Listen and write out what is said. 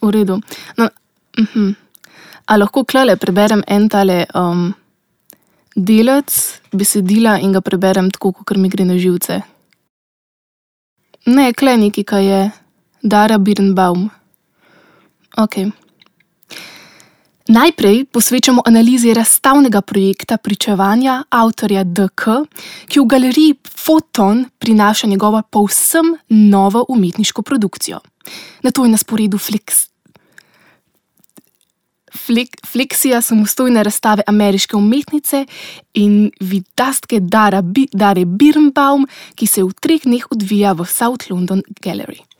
V redu. No, A lahko klele preberem en tale delec besedila in ga preberem tako, kakor mi gre na živce? Ne, kle nekaj, kaj je Dara Birnbaum. Okej. Najprej posvečamo analizi razstavnega projekta Pričevanja avtorja D.K., ki v galeriji Foton prinaša njegovo povsem novo umetniško produkcijo. Nato je na sporedu fleksija samostojne razstave ameriške umetnice in vidastke Dare Birnbaum, ki se v 3 dneh odvija v South London Gallery.